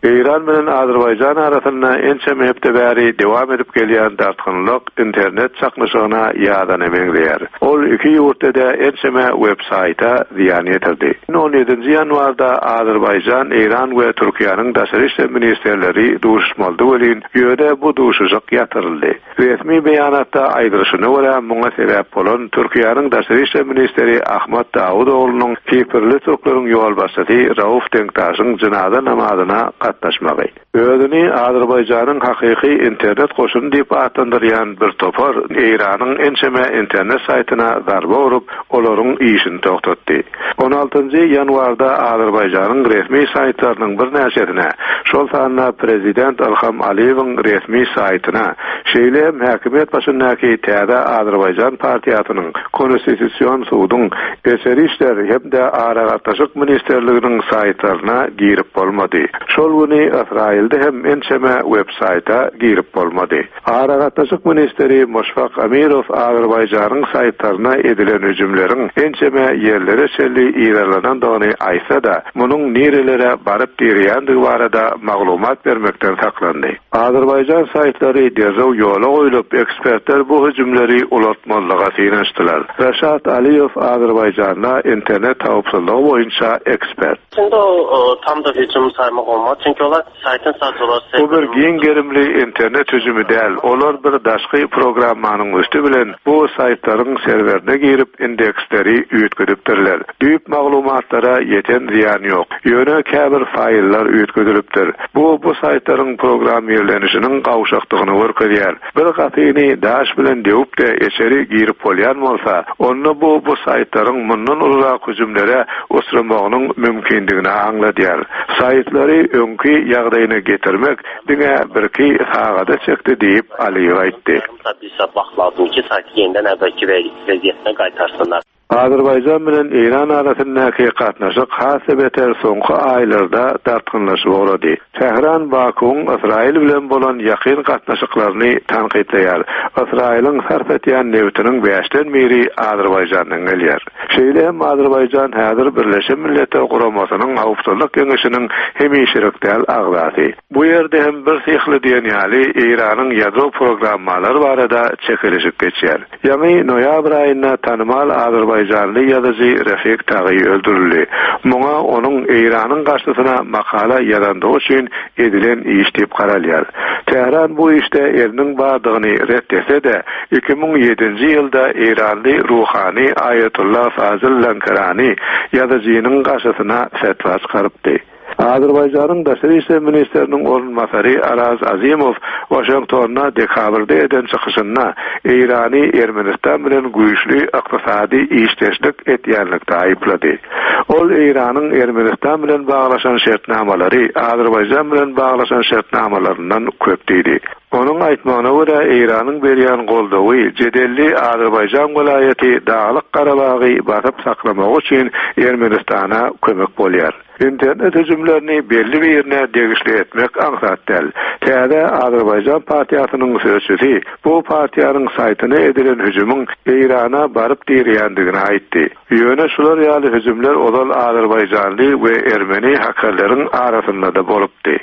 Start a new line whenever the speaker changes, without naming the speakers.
Eýran bilen Azerbaýjan arasynda ençeme hepde bäri dowam edip gelýän dartgynlyk internet çaknyşygyna ýazana meňzeýär. Ol iki ýurtda-da ençeme web-saýta zyýan ýetirdi. On ýedinji ýanwarda Azerbaýjan, Eýran we Türkiýäniň daşary işler ministrleri duşuşmalydy welin, ýöne bu duşuşyk ýatyryldy. Resmi beýanatda aýdylyşyna görä, muňa sebäp bolan Türkiýäniň daşary işler ministri Ahmat Dawutoglunyň kiprli türkleriň ýolbaşçysy Rauf Denktaşyň jynaza namazyna gatnaşmagy. Özüni Azerbaýjanyň hakyky internet goşuny diýip atlandyrýan bir topar Eýranyň ençeme internet saýtyna zarba urup, olaryň işini togtatdy. On altynjy ýanwarda Azerbaýjanyň resmi saýtlarynyň birnäçesine, şol sanda prezident Ylham Aliýewiň resmi saýtyna, şeýle hem häkimiýet başyndaky Täze Azerbaýjan partiýasynyň, Konstitusion suduň, Içeri işler hem-de Aragatnaşyk ministrliginiň saýtlaryna girip bolmady. Şol güni Ysraýylda hem ençeme web-saýta girip bolmady. Aragatnaşyk ministri Moşfak Amirow Azerbaýjanyň saýtlaryna edilen hüjümleriň ençeme ýerlere çenli yzarlanandygyny aýtsa-da, munuň nirelere baryp direýändigi barada maglumat bermekden saklandy. Azerbaýjan saýtlary derrew ýola goýlup, ekspertler bu hüjümleri ulaltmazlyga synanyşdylar. Raşat Aliýew Azerbaýjanda internet howpsuzlygy boýunça ekspert.
Şimdi o tam da hüjüm saymak olmaz. Çünki olar saýtyn satyjylar
Bu bir giň gerimli internet hüjümi däl, olar bir daşky programmanyň üsti bilen bu saýtlaryň serwerine girip indeksleri üýtgedipdirler. Düýp maglumatlara ýeten zyýan ýok. Ýöne käbir faýllar üýtgedilipdir. Bu bu saýtlaryň programmirlenişiniň gawşakdygyny görkezýär. Bir gapyny daş bilen döwüp-de içeri girip bolýan bolsa, onda bu bu saýtlaryň mundan ulurak hüjümlere uçramagynyň mümkindigini aňladýar. Saýtlary öňki ýagdaýyna getirmek diňe birki sagada çekdi diýip, Aliýew aýtdy. Azerbaýjan bilen Eýran arasyndaky gatnaşyk has-da beter soňky aýlarda dartgynlaşyp ugrady. Tähran Bakuwyň Ysraýyl bilen bolan ýakyn gatnaşyklaryny tankytlaýar. Ysraýylyň sarp edýän nebitiniň bäşden biri Azerbaýjandan gelýär. Şeýle hem Azerbaýjan häzir Birleşen Milletler Guramasynyň Howpsuzlyk Geňeşiniň hemişelik däl agzasy. Bu ýerde hem birsyhly diýen ýaly Eýranyň ýadro programmalary barada çekeleşik geçýär. Ýaňy noýabr aýynda tanymal azerbaýjanly ýazyjy Refik Tagy öldürildi. Muňa onuň Eýranyň garşysyna makala ýazandygy üçin edilen iş diýip garalýar. Tähran bu işde eliniň bardygyny ret etse-de, 2007-nji ýylda eýranly ruhany Aýatullah Fazyl Lankarani ýazyjynyň garşysyna fetwa çykarypdy. Azerbaýjanyň daşary işler ministriniň orunbasary Araz Azimow Waşingtonda dekabrda eden çykyşynda Eýrany Ermenistan bilen güýçli ykdysady işdeşlik etýänlikde aýyplady. Ol Eýranyň Ermenistan bilen baglaşan şertnamalary Azerbaýjan bilen baglaşan şertnamalaryndan köp diýdi. Onuň aýtmagyna görä, Eýranyň berýän goldawy jedelli Azerbaýjan welaýaty Daglyk Garabagy basyp saklamagy üçin Ermenistana kömek bolýar. Internet hüjümlerini belli birine degişli etmek aňsat däl. Täze Azerbaýjan partiýasynyň sözçüsi bu partiýanyň saýtyna edilen hüjümiň Eýrana baryp direýändigini aýtdy. Ýöne şular ýaly hüjümler ozal azerbaýjanly we ermeni hakerleriň arasynda-da bolupdy.